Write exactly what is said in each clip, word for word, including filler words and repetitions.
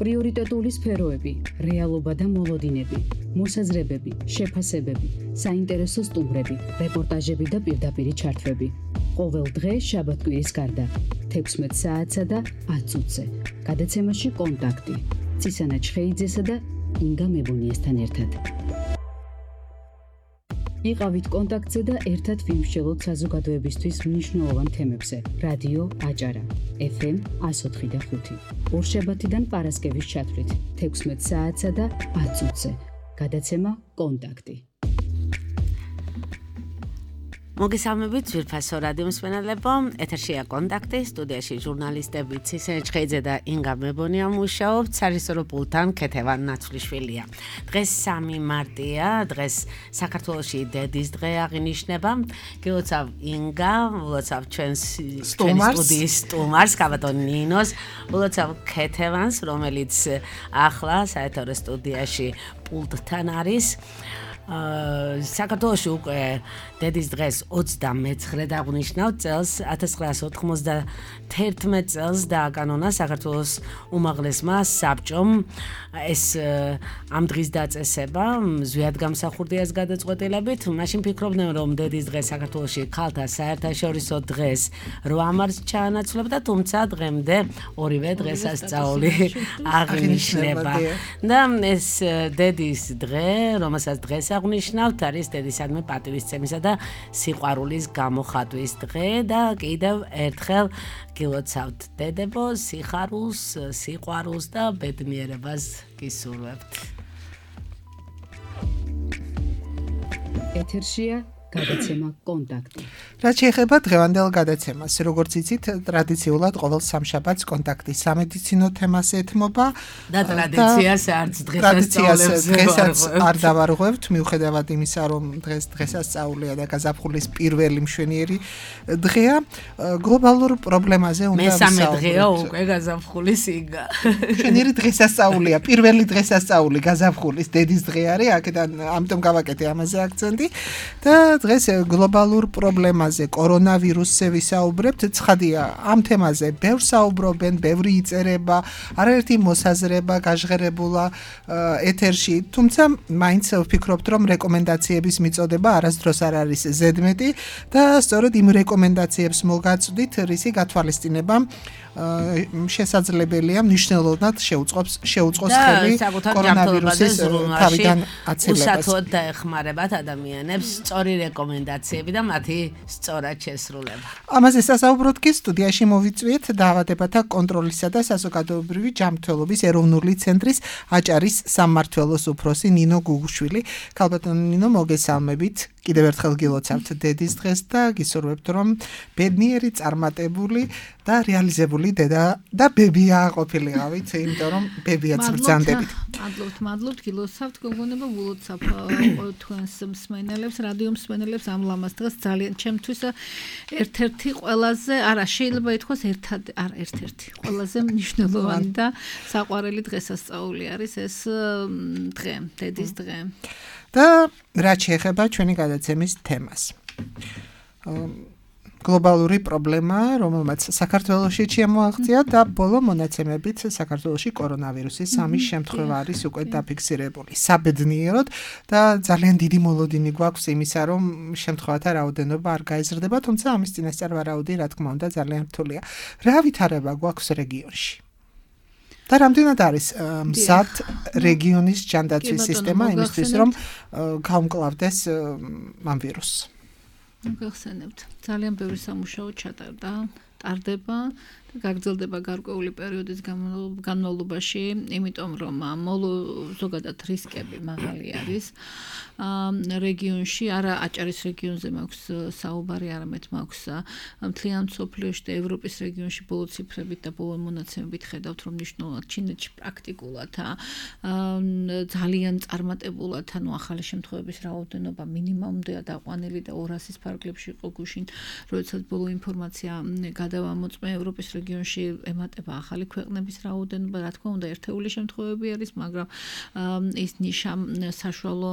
პრიორიტეტული სფეროები, რეალობა და მოლოდინები, მოსაზრებები, შეფასებები, საინტერესო სტუმრები, რეპორტაჟები და პირდაპირი ჩართვები. ყოველ დღე შაბათ-კვირის გარდა, თექვსმეტ საათსა და ათ წუთზე. გადაცემაში კონტაქტი. ცისანა ჩხეიძესა და ინგა მებუნიესთან ერთად. იყავით კონტაქტზე და ერთად ვიმსჯელოთ საზოგადოებისთვის მნიშვნელოვან თემებზე. რადიო აჭარა, ეფ ემ εκατო ოთხი და ხუთი. ორშაბათიდან პარასკევის ჩათვლით, თექვსმეტ საათსა და ათ წუთზე. გადაცემა კონტაქტი. მოგესალმებით ძვირფასო რადიო მსმენელებო, ეთერშია კონტაქტი, სტუდიაში ჟურნალისტები ცისანა ჩხეიძე და ინგა მებონია მუშაობთ, სარესტორო პულტთან ქეთევან ნაცვლიშვილია. დღეს სამი მარტია, დღეს საქართველოში დედის დღე აღინიშნება. გილოცავ ინგა, ვლოცავ ჩვენს სტუდიის სტუმარს, კაბატონ ნინოს, ვლოცავ ქეთევანს, რომელიც ახლა საეთერო სტუდიაში პულტთან არის. საქართველოში უკვე დედის დღეს ოცდამეცხრე დაგვნიშნავთ წელს ათას ცხრაასი ოთხმოცდაათერთმეტ წელს დააკანონა საქართველოს უმაღლესმა საბჭომ ეს ამ დღის დაწესება ზვიად გამსახურდიას გადაწყვეტილებით. მაშინ ფიქრობდნენ რომ დედის დღე საქართველოში ქალთა საერთაშორისო დღეს რვა მარტს ჩაანაცვლებდა, თუმცა დღემდე ორივე დღესასწაული აღინიშნება. და ეს დედის დღე, რომელსაც დღეს აღნიშნავთ, არის დედისადმი პატივისცემისა და სიყვარულის გამოხატვის დღე და კიდევ ერთხელ გილოცავთ დედებო, სიხარულს, სიყვარულს და ბედნიერებას გისურვებთ. ეთერშია გადაცემა კონტაქტი. რაც შეეხება დღევანდელ გადაცემას, როგორც იცით, ტრადიციულად ყოველ სამშაბათს კონტაქტი სამედიცინო თემას ეთმობა და ტრადიციას არც დღესასწაულებს დღესაც არ დავარღვევთ, მიუხედავად იმისა, რომ დღეს დღესასწაულია და გაზაფხულის პირველი მშვენიერი დღეა, გლობალურ პრობლემაზე უნდა ვისაუბროთ. მესამე დღეა უკვე გაზაფხულის იგა. მშვენიერი დღესასწაულია, პირველი დღესასწაული გაზაფხულის დედის დღე არის, აქედან ამიტომ გავაკეთე ამაზე აქცენტი და დღეს გლობალურ პრობლემაზე, კორონავირუსზე ვისაუბრებთ. ცხადია, ამ თემაზე ბევრ საუბრობენ, ბევრი იწერება, არაერთი მოსაზრება გაჟღერებულა ეთერში, თუმცა მაინც ვფიქრობთ, რომ რეკომენდაციების მიწოდება არასდროს არ არის ზედმეტი და სწორედ იმ რეკომენდაციებს მოგაწვდით, რისი გათვალისწინება შესაძლებელია მნიშვნელოვნად შეუწყობს შეუწყოს ხელი კორონავირუსის თავიდან აცილებას. უსათოდ დაეხმარებათ ადამიანებს სწორი რეკომენდაციები და მათი სწორად შესრულება. ამაზე სასაუბროთ კი სტუდიაში მოვიწვიეთ დაავადებათა კონტროლისა და საზოგადოებრივი ჯანმრთელობის ეროვნული ცენტრის აჭარის სამმართველოს უფროსი ნინო გუგუშვილი. ქალბატონ ნინო, მოგესალმებით. კიდევ ერთხელ გილოცავთ დედის დღეს და გისურვებთ, რომ ბედნიერი, წარმატებული და რეალიზებული დედა და ბებია ყოფილიყავით, იმიტომ რომ ბებიაც ბრძანდებით. მადლობთ, მადლობთ, გილოცავთ, გოგონება, ულოცავ თქვენს მსმენელებს, რადიო მსმენელებს ამ ლამაზ დღეს ძალიან ჩემთვის ერთ-ერთი ყველაზე, არა, შეიძლება ითქვას ერთად, არა, ერთ-ერთი ყველაზე მნიშვნელოვანი და საყვარელი დღესასწაული არის ეს დღე, დედის დღე. და რაც შეეხება ჩვენი გადაცემის თემას. გლობალური პრობლემა, რომელმაც საქართველოში შემოაღწია და ბოლო მონაცემებით საქართველოში კორონავირუსის სამი შემთხვევა არის უკვე დაფიქსირებული. საბედნიეროდ და ძალიან დიდი მოლოდინი გვაქვს იმისა, რომ შემთხვევათა რაოდენობა არ გაიზრდება, თუმცა ამის წინასწარ ვარაუდი, რა თქმა უნდა, ძალიან რთულია. რა ვითარება გვაქვს რეგიონში? და რამდენად არის მზად რეგიონის ჯანდაცვის სისტემა იმისთვის, რომ გაუმკლავდეს ამ ვირუსს? გახსენებთ, ძალიან ბევრი სამუშაო ჩატარდა, ტარდება და გაგრძელდება გარკვეული პერიოდის განმავლობაში, იმიტომ რომ ზოგადად რისკები მაღალი არის რეგიონში, არა აჭარის რეგიონზე მაქვს საუბარი, არამედ მაქვს მთლიან მსოფლიოში და ევროპის რეგიონში ბოლო ციფრებით და ბოლო მონაცემებით ხედავთ, რომ მნიშვნელოვნად ჩინეთში პრაქტიკულად ძალიან წარმატებულად, ანუ ახალი შემთხვევების რაოდენობა მინიმუმდაა დაყვანილი და ორასის ფარგლებში იყო გუშინ, როდესაც ბოლო ინფორმაცია გადავამოწმე ევროპის რეგიონში ემატება ახალი ქვეყნების რაოდენობა, რა თქმა უნდა, ერთეული შემთხვევები არის, მაგრამ ის ნიშა საშუალო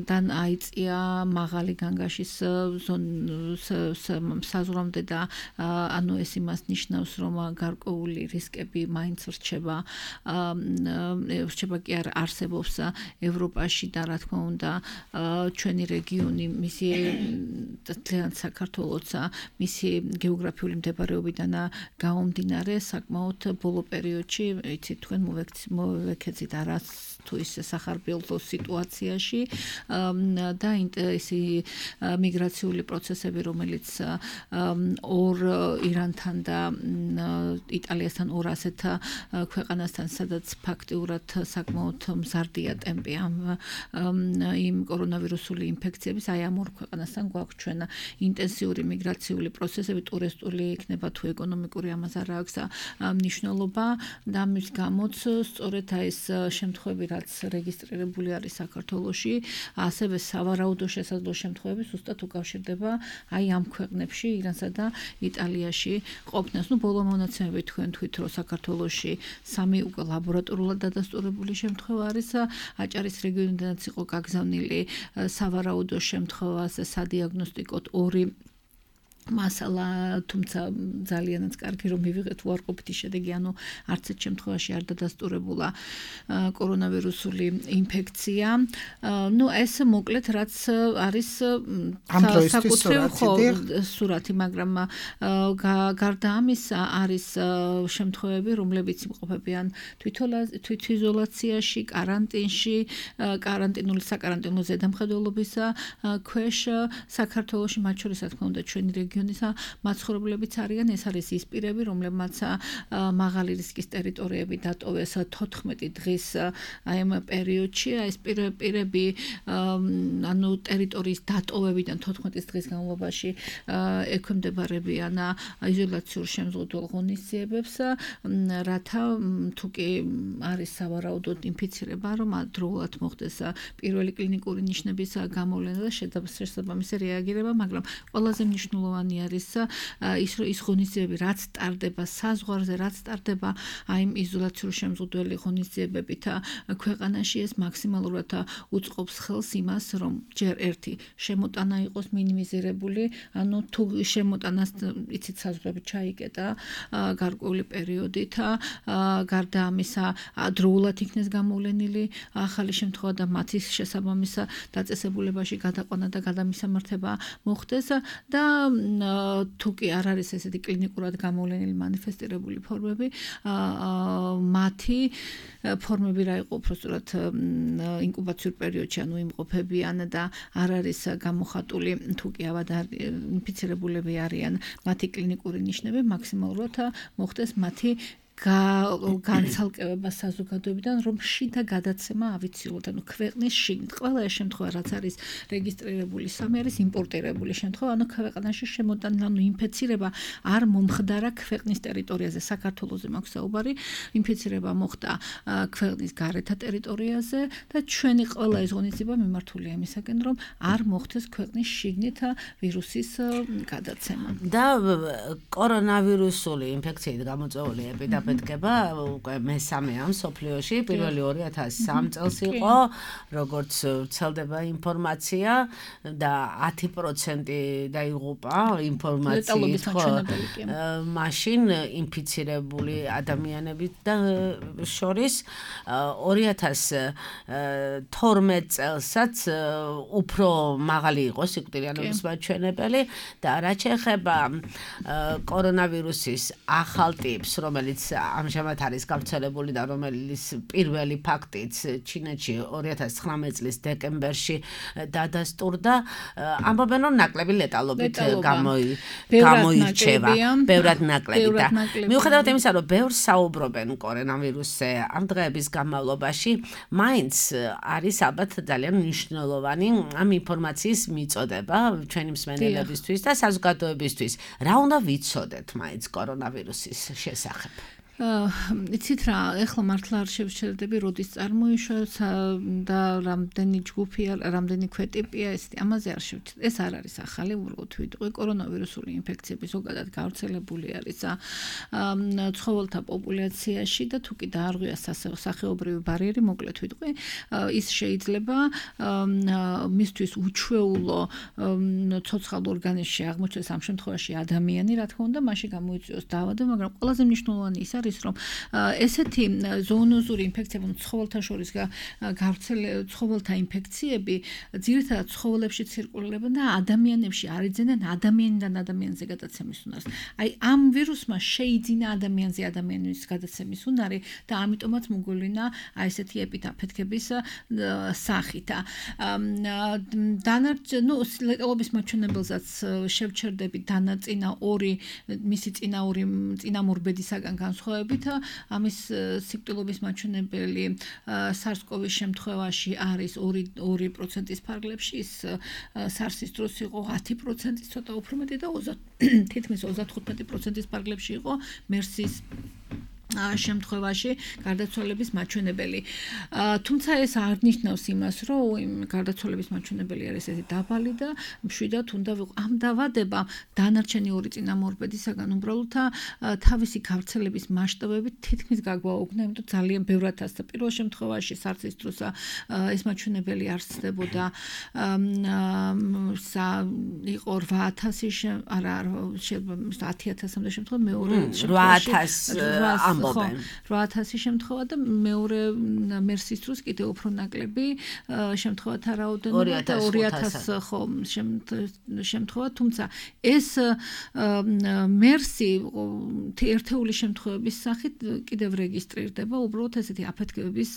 დან აიწია მაღალი განგაშის საზღვრამდე და ანუ ეს იმას ნიშნავს, რომ გარკვეული რისკები მაინც რჩება რჩება კი არ არსებობს ევროპაში და რა თქმა უნდა ჩვენი რეგიონი მისი ძალიან საქართველოს მისი გეოგრაფიული მდებარეობიდან გამომდინარე საკმაოდ ბოლო პერიოდში იცით თქვენ მოვეკეცით არას თუ ის სახარბიელო სიტუაციაში და ისი მიგრაციული პროცესები რომელიც ორ ირანთან და იტალიასთან ორ ასეთ ქვეყანასთან სადაც ფაქტიურად საკმაოდ მზარდია ტემპი ამ იმ კორონავირუსული ინფექციების აი ამ ორ ქვეყანასთან გვაქვს ჩვენ ინტენსიური მიგრაციული პროცესები ტურისტული იქნება თუ ეკონომიკური ამას არ აქვს მნიშვნელობა და ამის გამოც სწორედ აი ეს შემთხვევები რაც რეგისტრირებული არის საქართველოში ასევე სავარაუდო შესაძლო შემთხვევები ზუსტად უკავშირდება აი ამ ქვეყნებში ირანსა და იტალიაში ყოფნას. ნუ ბოლო მონაცემები თქვენ თვით რომ საქართველოში სამი უკვე ლაბორატორულად დადასტურებული შემთხვევა არის აჭარის რეგიონიდანაც იყო გაგზავნილი სავარაუდო შემთხვევას სადიაგნოსტიკოდ ორი მასალა თუმცა ძალიანაც კარგი რომ მივიღეთ უარყოფითი შედეგი ანუ არც ერთ შემთხვევაში არ დადასტურებულა კორონავირუსული ინფექცია. ნუ ეს მოკლედ რაც არის საკუთრივ სურათი, მაგრამ გარდა ამისა არის შემთხვევები, რომლებიც იმყოფებიან თვითიზოლაციაში, კარანტინში, კარანტინული საკარანტინო ზედამხედველობის ქვეშ საქართველოში, მათ შორის რა თქმა უნდა ჩვენი რეგიონი მაცხოვრებლებიც არიან, ეს არის ის პირები, რომლებმაც მაღალი რისკის ტერიტორიები დატოვეს თოთხმეტი დღის აი ამ პერიოდში, ეს პირები ანუ ტერიტორიის დატოვებიდან თოთხმეტი დღის განმავლობაში ექვემდებარებიან იზოლაციურ შემზღუდველ ღონისძიებებს, რათა თუ კი არის სავარაუდოდ ინფიცირება, რომ ადროულად მოხდეს პირველი კლინიკური ნიშნების გამოვლენა და შესაბამისი რეაგირება, მაგრამ ყველაზე მნიშვნელოვანი არის ის ის ღონისძიებები რაც ტარდება საზღვარზე, რაც ტარდება აი იმ იზოლაციურ შემზღუდველი ღონისძიებებით ქვეყანაში ეს მაქსიმალურად უწყობს ხელს იმას, რომ ჯერ ერთი შემოტანა იყოს მინიმიზირებული, ანუ თუ შემოტანას იცით საზღვრები ჩაიკეტა გარკვეული პერიოდით, გარდა ამისა დროულად იქნეს გამოვლენილი ახალი შემთხვევა და მათი შესაბამის დაწესებულებაში გადაყვანა და გადამისამართება მოხდეს და თუ კი არ არის ესეთი კლინიკურად გამოვლენილი მანიფესტირებული ფორმები, მათი ფორმები რა იყო უბრალოდ ინკუბაციურ პერიოდში, ანუ იმყოფებიან და არ არის გამოხატული თუ კი ავად ინფიცირებულები არიან მათი კლინიკური ნიშნები, მაქსიმალურად მოხდეს მათი განცალკევება საზოგადოებიდან, რომ შიდა გადაცემა ავიცილოთ, ანუ ქვეყნის შიგნით. ყველა ეს შემთხვევა, რაც არის რეგისტრირებული, სამი არის იმპორტირებული შემთხვევა, ანუ ქვეყანაში შემოტანა, ანუ ინფიცირება არ მომხდარა ქვეყნის ტერიტორიაზე, საქართველოზე მაქვს საუბარი, ინფიცირება მოხდა ქვეყნის გარეთა ტერიტორიაზე და ჩვენი ყველა ეს ღონისძიება მიმართულია იმისაკენ, რომ არ მოხდეს ქვეყნის შიგნით ვირუსის გადაცემა. და კორონავირუსული ინფექციით გამოწვეული ეპიდემია დგება უკვე მესამეა მსოფლიოში, პირველი ორი ათას სამი წელს იყო, როგორც ვრცელდება ინფორმაცია და ათი პროცენტი დაიღუპა ინფორმაციით, მაშინ ინფიცირებული ადამიანების და შორის ორი ათას თორმეტ წელსაც უფრო მაღალი იყო სიკვდილიანობის მაჩვენებელი და რაც შეეხება კორონავირუსის ახალ ტიპს, რომელიც ამჟამად არის გავრცელებული და რომელიც პირველი ფაქტიც ჩინეთში ორი ათას ცხრამეტ წლის დეკემბერში დადასტურდა, ამბობენ რომ ნაკლები ლეტალობით გამოირჩევა, ბევრად ნაკლები და მიუხედავად იმისა, რომ ბევრს საუბრობენ კორონავირუსზე ამ დღეების განმავლობაში, მაინც არის ალბათ ძალიან მნიშვნელოვანი ამ ინფორმაციის მიწოდება ჩვენი მსმენელებისთვის და საზოგადოებისთვის. რა უნდა ვიცოდეთ მაინც კორონავირუსის შესახებ? იცით რა, ეხლა მართლა არ შევჩერდები, როდის წარმოიშვა და რამდენი ჯგუფია, რამდენი ქვეტიპია, ეს ამაზე არ შევჩერდები. ეს არ არის ახალი, უბრალოდ ვიტყვი, კორონავირუსული ინფექციები ზოგადად გავრცელებული არის ცხოველთა პოპულაციაში და თუ კი დაარღვია სახეობრივი ბარიერი, მოკლედ ვიტყვი, ის შეიძლება მისთვის უჩვეულო ცოცხალ ორგანიზმში აღმოჩნდეს ამ შემთხვევაში ადამიანი, რა თქმა უნდა, მაშინ გამოიწვიოს დაავადება, მაგრამ ყველაზე მნიშვნელოვანი ის არის, რომ ესეთი ზოონოზური ინფექციები, ცხოველთა შორის გავრცელებული ცხოველთა ინფექციები ძირითადად ცხოველებში ცირკულირებენ და ადამიანებში არ იძენენ ადამიანიდან ადამიანზე გადაცემის უნარს. აი ამ ვირუსმა შეიძინა ადამიანზე ადამიანის გადაცემის უნარი და ამიტომაც მოგვივლინა აი ესეთი ეპიდაფეთქების სახით. დანარჩენ, ნუ ლეტალობის მაჩვენებელსაც შევჩერდები დანაწინა ორი მისი წინა ორი წინამორბედისაგან განსხვავებით, ამის სიკვდილობის მაჩვენებელი SARS-CoV-ის შემთხვევაში არის ორი პროცენტის ფარგლებში, ის SARS-ის დროს იყო ათი პროცენტი, ცოტა უფრო მეტი და თითქმის ოცდათხუთმეტი პროცენტის ფარგლებში იყო MERS-ის შემთხვევაში გარდაცვალების მაჩვენებელი. თუმცა ეს არ ნიშნავს იმას, რომ გარდაცვალების მაჩვენებელი არის ესეთი დაბალი და მშვიდად უნდა ვიყო. ამ დაავადებამ დანარჩენი ორი წინამორბედისაგან უბრალოდ თავისი გავრცელების მასშტაბებით თითქმის გაგვაუგნა, იმიტომ ძალიან ბევრად ასწა. პირველ შემთხვევაში SARS-ის დროს ეს მაჩვენებელი არსებობდა იყო რვა ათასი, არა, ათი ათასამდე შემთხვევა, მეორე შემთხვევაში რვა ათასი შემთხვევა და მეორე MERS-ის დროს კიდევ უფრო ნაკლები შემთხვევათა რაოდენობა და ორი ათასი ხო შემთხვევა, თუმცა ეს MERS-ი ერთეული შემთხვევების სახით კიდევ რეგისტრირდება, უბრალოდ ესეთი აფეთქების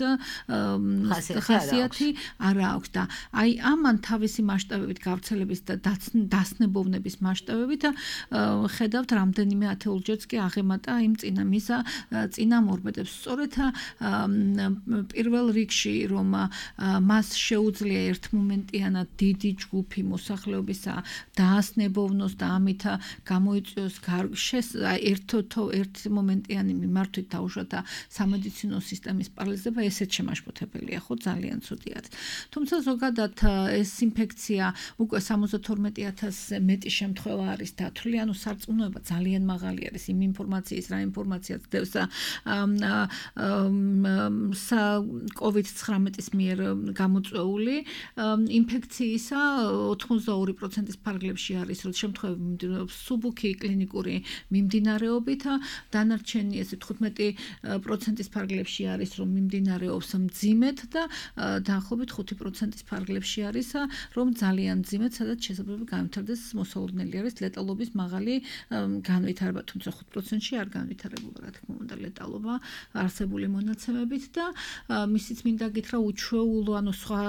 ხასიათი არ აქვს და აი ამან თავისი მასშტაბებით გავრცელების და დასნებოვნების მასშტაბებით ხედავთ რამდენიმე ათეულჯერც კი აღემატა იმ წინა მისა წინამორბედებს. სწორედ პირველ რიგში რომ მას შეუძლია ერთმომენტიანად დიდი ჯგუფი მოსახლეობისა დაასნებოვნოს და ამით გამოიწვიოს ერთმომენტიანი მიმართვით დაუშვათ სამედიცინო სისტემის პარალიზება, ესეც შემაშფოთებელია, ხო, ძალიან ცუდი არის. თუმცა ზოგადად ეს ინფექცია უკვე სამოცდათორმეტი ათასზე მეტი შემთხვევა არის დათვლილი, ანუ სარწმუნოება ძალიან მაღალი არის იმ ინფორმაციის, რა ინფორმაციაც დევს COVID ცხრამეტის მიერ გამოწვეული ინფექციისა ოცდაორი პროცენტის ფარგლებში არის, რომ შემთხვევები სუბუქი კლინიკური მიმდინარეობით, დანარჩენი ესე თხუთმეტი პროცენტის ფარგლებში არის, რომ მიმდინარეობს მძიმედ და დაახლოებით ხუთი პროცენტის ფარგლებში არის, რომ ძალიან მძიმედ, სადაც შესაძლოა განვითარდეს მოსალოდნელი არის ლეტალობის მაღალი განვითარება, თუმცა ხუთ პროცენტში არ განვითარებულა, რა თქმა უნდა, ლეტალობა არსებული მონაცემებით და მისიც მინდა გითხრა უჩვეულო, ანუ სხვა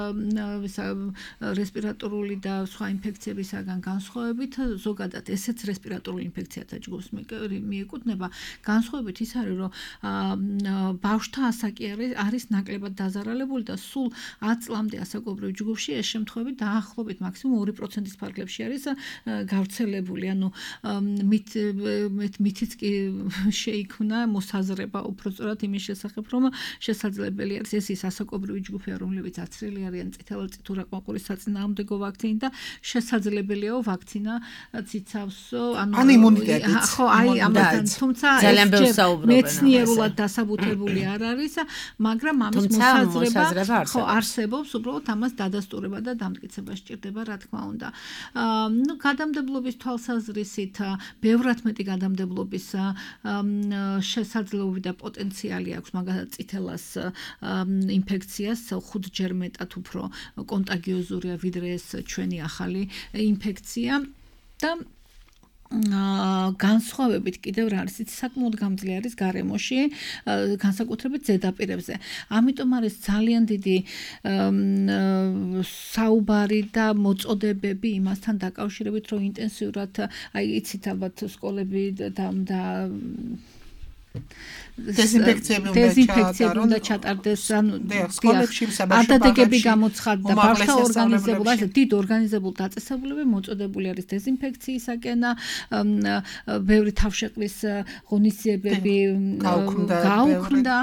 რესპირატორული და სხვა ინფექციებისაგან განსხვავებით, ზოგადად ესეც რესპირატორული ინფექციათა ჯგუფს მიეკუთვნება, განსხვავებით ის არის, რომ ბავშვთა ასაკი არის ნაკლებად დაზარალებული და სულ ათ წლამდე ასაკობრივ ჯგუფში ეს შემთხვევები დაახლოებით მაქსიმუმ ორი პროცენტის ფარგლებში არის გავრცელებული, ანუ მითიც კი შეიქმნა მოსაზრება უფრო სწორად იმის შესახებ, რომ შესაძლებელი არის ეს ის ასაკობრივი ჯგუფია, რომლებიც აცრელი არიან წითელწითურაყმაყურის საწინააღმდეგო ვაქცინით და შესაძლებელია ვაქცინა ციცავს, ანუ იმუნიტეტიც. ხო, აი ამასთან, თუმცა ეს მეცნიერულად დასაბუთებული არ არის, მაგრამ ამის მოსაზრება ხო არსებობს, უბრალოდ ამას დადასტურება და დამტკიცება სჭირდება, რა თქმა უნდა. ნუ გადამდებლობის თვალსაზრისით ბევრად მეტი გადამდებლობის შესაძლებლობა და პოტენციალი აქვს მაგალითად წითელას ინფექციას ხუთჯერ მეტად უფრო კონტაგიოზურია ვიდრე ეს ჩვენი ახალი ინფექცია და განსხვავებით კიდევ რა არის, საკმაოდ გამძლე არის გარემოში, განსაკუთრებით ზედაპირებზე. ამიტომ არის ძალიან დიდი საუბარი და მოწოდებები იმასთან დაკავშირებით, რომ ინტენსიურად, აი იცით ალბათ სკოლები და დეზინფექციები უნდა დეზინფექციები უნდა ჩატარდეს, ანუ სკოლებში, საბავშვო ადადეგები გამოცხადდა, ბავშვთა ორგანიზებულ, ასე დიდ ორგანიზებულ დაწესებულებები მოწოდებული არის დეზინფექციისაკენ, ბევრი თავშეყრის ღონისძიებები გაუქმდა.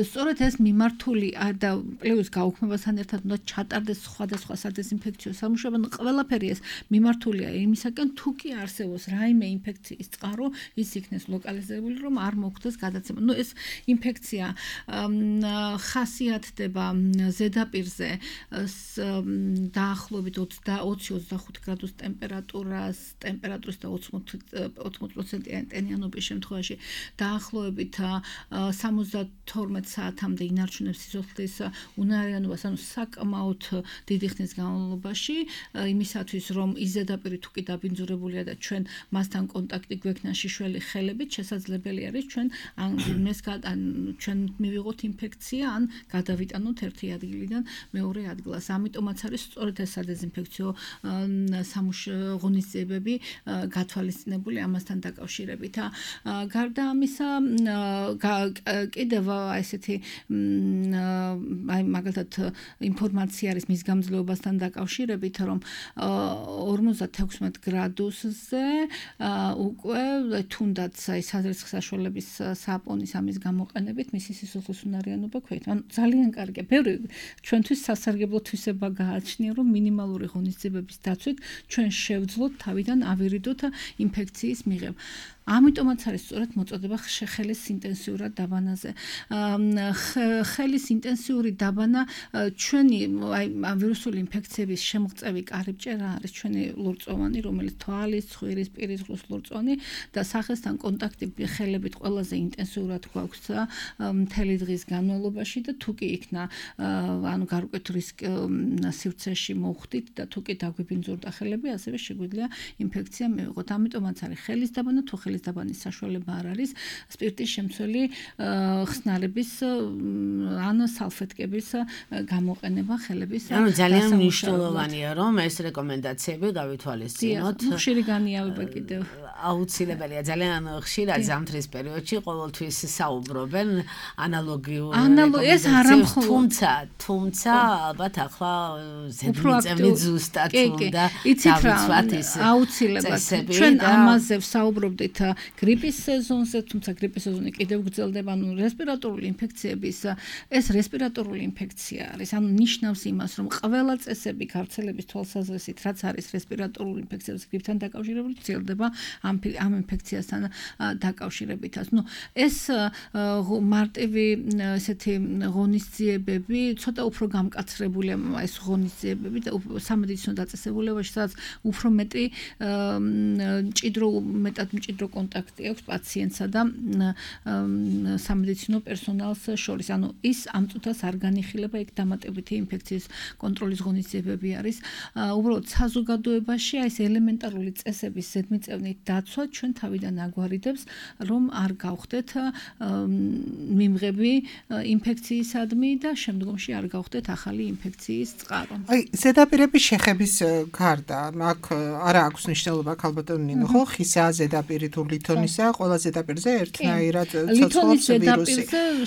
სწორედ ეს მიმართული და პლუს გაუქმებასთან ერთად უნდა ჩატარდეს სხვადასხვა სადეზინფექციო სამუშაოები. ყველაფერი ეს მიმართულია იმისაკენ, თუ კი არსებობს რაიმე ინფექციის წყარო, ის იქნეს ლოკალიზებული, რომ არ მოხდეს გადაცემა. ნუ ეს ინფექცია ხასიათდება ზედაპირზე დაახლოებით ოცი ოცდახუთ გრადუს ტემპერატურას, ტემპერატურის და ოცმოც პროცენტიანი ტენიანობის შემთხვევაში დაახლოებით სამოცდათორმეტ საათამდე ინარჩუნებს სიცოცხლის უნარიანობას, ანუ საკმაოდ დიდი ხნის განმავლობაში, იმისათვის რომ ის ზედაპირი თუ კი დაბინძურებულია და ჩვენ მასთან კონტაქტი გვექნა შიშველი ხელებით, შესაძლებელი არის ჩვენ ან ან ჩვენ მივიღოთ ინფექცია, ან გადავიტანოთ ერთი ადგილიდან მეორე ადგილას. ამიტომაც არის სწორედ ეს სადეზინფექციო ღონისძიებები გათვალისწინებული ამასთან დაკავშირებით. გარდა ამისა, კიდევ ესეთი აი მაგალითად ინფორმაცია არის მის გამძლეობასთან დაკავშირებით, რომ ორმოცდათექვსმეტ გრადუსზე უკვე თუნდაც აი საზრისხ საშუალების საპონის ამის გამოყენებით მისი სიცოცხლის უნარიანობა ქვეითება. ანუ ძალიან კარგია. ბევრი ჩვენთვის სასარგებლო თვისება გააჩნია, რომ მინიმალური ღონისძიებების დაცვით ჩვენ შევძლოთ თავიდან ავირიდოთ ინფექციის მიღება. ამიტომაც არის სწორედ მოწოდება ხელის ინტენსიურად დაბანაზე. ხელის ინტენსიური დაბანა ჩვენი აი ვირუსული ინფექციების შემღწევი კარიბჭე რა არის ჩვენი ლორწოვანი, რომელიც თვალის, ცხვირის, პირის ღრუს ლორწოვანი და სახესთან კონტაქტი ხელებით ყველაზე ინტენსიურად გვაქვს მთელი დღის განმავლობაში და თუ კი იქნა ანუ გარკვეთ რისკ სივრცეში მოხვდით და თუ კი დაგვიბინძურდა ხელები, ასევე შეგვიძლია ინფექცია მივიღოთ. ამიტომაც არის ხელის დაბანა, თუ ხელის დაბანის საშუალება არ არის, სპირტის შემცველი ხსნარების ან სალფეტკების გამოყენება ხელების. ანუ ძალიან მნიშვნელოვანია, რომ ეს რეკომენდაციები გავითვალისწინოთ. ხშირი განიავება კიდევ აუცილებელია. ძალიან ხშირად ზამთრის პერიოდში ყოველთვის საუბრობენ ანალოგიურ ეს არა მხოლოდ თუმცა თუმცა ალბათ ახლა ზედმიწევნით ზუსტად უნდა დავიცვათ ის აუცილებლად. ჩვენ ამაზე ვსაუბრობდით გრიპის სეზონზე, თუმცა გრიპის სეზონი კიდევ გრძელდება, ანუ რესპირატორული ინფექციების ეს რესპირატორული ინფექცია არის, ანუ ნიშნავს იმას, რომ ყველა წესები გავრცელების თვალსაზრისით, რაც არის რესპირატორული ინფექციების გრიპთან დაკავშირებული, ვრცელდება ამ ამ ინფექციასთან დაკავშირებითაც. ნუ ეს მარტივი ესეთი ღონისძიებები ცოტა უფრო გამკაცრებულია ეს ღონისძიებები და სამედიცინო დაწესებულებაში, სადაც უფრო მეტი მჭიდრო მეტად მჭიდრო კონტაქტი აქვს პაციენტსა და სამედიცინო პერსონალს შორის. ანუ ის ამ წუთას არ განიხილება, ეგ დამატებითი ინფექციის კონტროლის ღონისძიებები არის. უბრალოდ საზოგადოებაში აი ეს ელემენტარული წესების ზედმიწევნით დაცვა ჩვენ თავიდან აგვარიდებს, რომ არ გავხდეთ მიმღები ინფექციისადმი და შემდგომში არ გავხდეთ ახალი ინფექციის წყარო. აი ზედაპირების შეხების გარდა აქ არა აქვს მნიშვნელობა ქალბატონ ნინო, ხო? ხისა ზედაპირი თუ ლითონისა, ყველა ზედაპირზე ერთნაირად ცოცხლობს ვირუსი.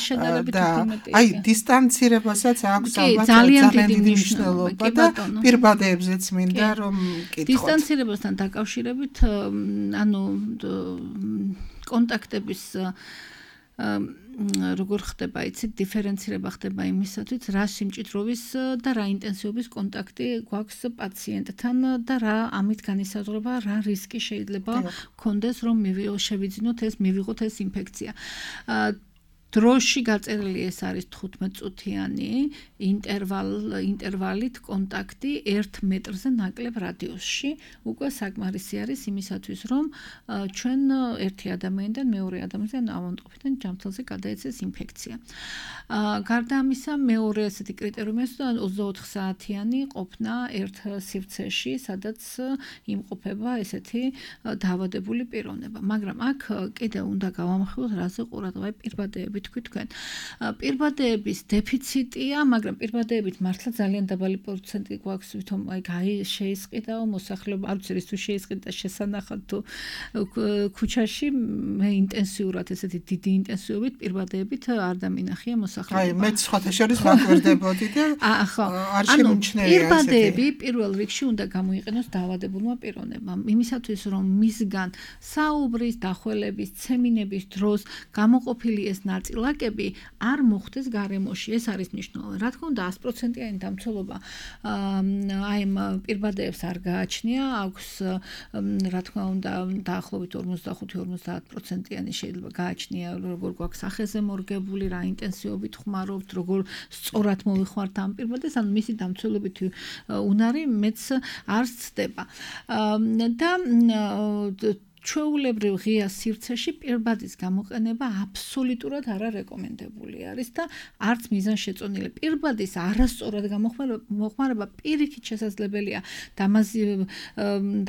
შედარებით უფრო მეტია. აი დისტანცირებასაც აქვს ალბათ ძალიან დიდი მნიშვნელობა და პირბადეებზეც მინდა რომ კითხოთ. დისტანცირებასთან დაკავშირებით ანუ კონტაქტების როგორ ხდება, იცით, დიფერენცირება ხდება იმისათვის, რა სიმჭიდროვის და რა ინტენსივობის კონტაქტი გვაქვს პაციენტთან და რა ამით განისაზღვრება, რა რისკი შეიძლება გქონდეს, რომ შევიძინოთ ეს, მივიღოთ ეს ინფექცია. დროში გაწერილი ეს არის თხუთმეტ წუთიანი ინტერვალ ინტერვალით კონტაქტი ერთ მეტრზე ნაკლებ რადიუსში. უკვე საკმარისი არის იმისათვის, რომ ჩვენ ერთი ადამიანიდან მეორე ადამიანთან ავადმყოფიდან ჯანმრთელზე გადაეცეს ინფექცია. გარდა ამისა, მეორე ესეთი კრიტერიუმი ოცდაოთხ საათიანი ყოფნა ერთ სივრცეში, სადაც იმყოფება ესეთი დაავადებული პიროვნება. მაგრამ აქ კიდევ უნდა გავამხილოთ, რაზე ყურადღება პირბადეებით თქვი თქვენ. პირბადეების დეფიციტია, მაგრამ პირბადეებით მართლა ძალიან დაბალი პროცენტი გვაქვს, ვითომ აი გაი შეისყიდაო მოსახლეობა, არ ვიცი თუ შეისყიდა შესანახად თუ ქუჩაში მე ინტენსიურად ესეთი დიდი ინტენსივობით პირბადეებით არ დამინახია მოსახლეობა. აი მეც სხვათა შორის ვაკვირდებოდი და არ შემიმჩნევია ესეთი. პირბადეები პირველ რიგში უნდა გამოიყენოს დაავადებულმა პიროვნებამ, იმისათვის რომ მისგან საუბრის, დახველების, ცემინების დროს გამოყოფილი ეს ნაწილაკები არ მოხდეს გარემოში. ეს არის მნიშვნელოვანი. რა თქმა უნდა, sto პროცენტიანი დამცველობა აი ამ პირბადეებს არ გააჩნია, აქვს რა თქმა უნდა დაახლოებით ორმოცდახუთი ორმოცდაათ პროცენტიანი შეიძლება გააჩნია, როგორ გვაქვს სახეზე მორგებული, რა ინტენსივობით ხმარობთ, როგორ სწორად მოვიხმართ ამ პირბადეს, ანუ მისი დამცველობითი უნარი მეც არ ცდება. და ჩვეულებრივ ღია სივრცეში პირბადის გამოყენება აბსოლუტურად არა რეკომენდებული არის და არც მიზანშეწონილი. პირბადის არასწორად გამოხმარება პირიქით შესაძლებელია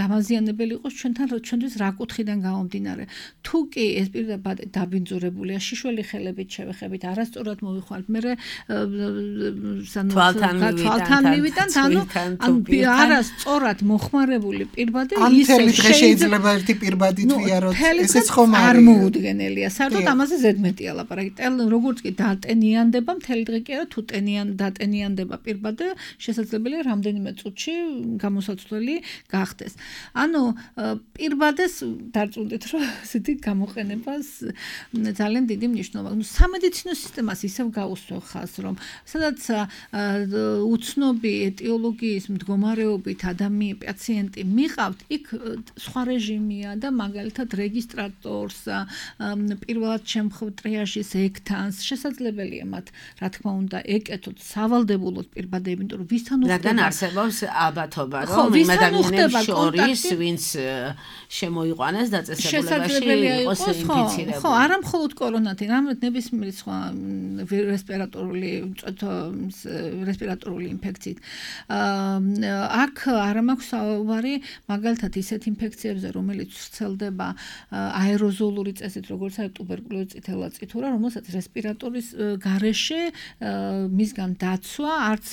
დამაზიანებელი იყოს ჩვენთან ჩვენთვის რა კუთხიდან გამომდინარე. თუ კი ეს პირბადი დაბინძურებულია, შიშველი ხელებით შევეხებით, არასწორად მოვიხმართ, მე თვალთან მივიტანთ, ანუ არასწორად მოხმარებული პირბადი ისე შეიძლება ერთი პირბადი ბადითვიაროთ ესეც ხომ არ მოუდგენელია. საერთოდ ამაზე ზედმეტია ლაპარაკი. როგორც კი დატენიანდება, მთელი დღე კი არა, თუ ტენიან დატენიანდება პირბადე, შესაძლებელია რამდენიმე წუთში გამოსაცვლელი გახდეს. ანუ პირბადეს დარწმუნდით, რომ ესეთი გამოყენებას ძალიან დიდი მნიშვნელობა. ნუ სამედიცინო სისტემას ისევ გაუსვევ ხაზს, რომ სადაც უცნობი ეტიოლოგიის მდგომარეობით ადამიანი პაციენტი მიყავთ, იქ სხვა რეჟიმია და მაგალითად რეგისტრატორს პირველად შემხევ ტრიაჟის ექტანს შესაძლებელია მათ რა თქმა უნდა ეკეთოთ სავალდებულოდ პირბადეები, იმიტომ რომ ვისთან უხდება რადგან არსებობს ალბათობა რომ იმ ადამიანებს შორის ვინც შემოიყვანეს დაწესებულებაში იყოს ინფიცირებული. ხო, არა მხოლოდ კორონათი, რამე ნებისმიერი სხვა რესპირატორული რესპირატორული ინფექციით. აქ არ მაქვს საუბარი მაგალითად ისეთ ინფექციებზე, რომელიც ვრცელდება აეროზოლური წესით, როგორც არის ტუბერკულოზი, წითელაწითურა, რომელსაც რესპირატორის გარეშე მისგან დაცვა არც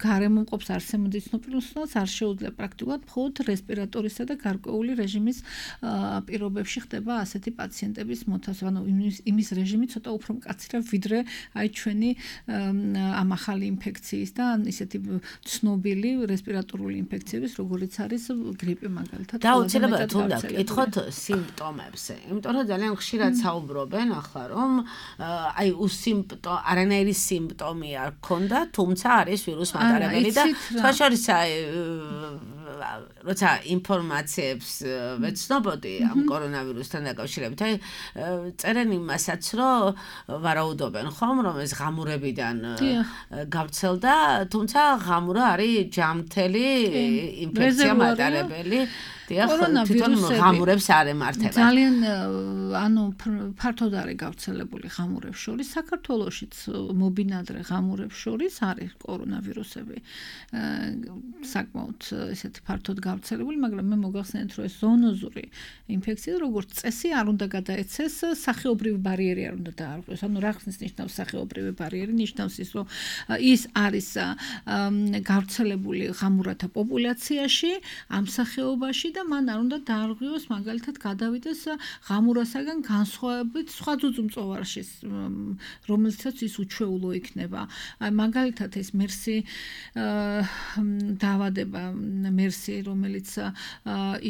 გარემომყოფს არსემედიცინო პერსონალს არ შეუძლია პრაქტიკულად, მხოლოდ რესპირატორისა და გარკვეული რეჟიმის პირობებში ხდება ასეთი პაციენტების მოთასვა. ანუ იმის რეჟიმი ცოტა უფრო მკაცრია ვიდრე აი ჩვენი ამ ახალი ინფექციის და ისეთი ცნობილი რესპირატორული ინფექციების, როგორიც არის გრიპი მაგალითად. და უცებად უნდა კითხოთ სიმპტომებზე. იმიტომ რომ ძალიან ხშირად საუბრობენ ახლა რომ აი უსიმპტო არანაირი სიმპტომი არ ქონდა, თუმცა არის ვირუს მატარებელი და თვალშორის აი როცა ინფორმაციებს ვეცნობოდი ამ კორონავირუსთან დაკავშირებით, აი წერენ იმასაც, რომ ვარაუდობენ ხომ, რომ ეს ღამურებიდან გავრცელდა, თუმცა ღამურა არის ჯამთელი ინფექცია მატარებელი. თვითონ ღამურებს არ ემართება. ძალიან ანუ ფართოდ არის გავრცელებული ღამურებს შორის, საქართველოშიც მობინადრე ღამურებს შორის არის კორონავირუსები. საკმაოდ ესეთი ფართოდ გავრცელებული, მაგრამ მე მოგახსენეთ, რომ ეს ზონოზური ინფექცია, როგორც წესი, არ უნდა გადაეცეს, სახეობრივი ბარიერი არ უნდა დაარღვიოს. ანუ რა ხსნის ნიშნავს სახეობრივი ბარიერი? ნიშნავს ის, რომ ის არის გავრცელებული ღამურათა პოპულაციაში, ამ სახეობაში და მან არ უნდა დაარღვიოს მაგალითად გადავიდეს ღამურასაგან განსხვავებით სხვა ძუძუმწოვარში, რომელსაც ის უჩვეულო იქნება. აი მაგალითად ეს მერსი დაავადება, მერსი, რომელიც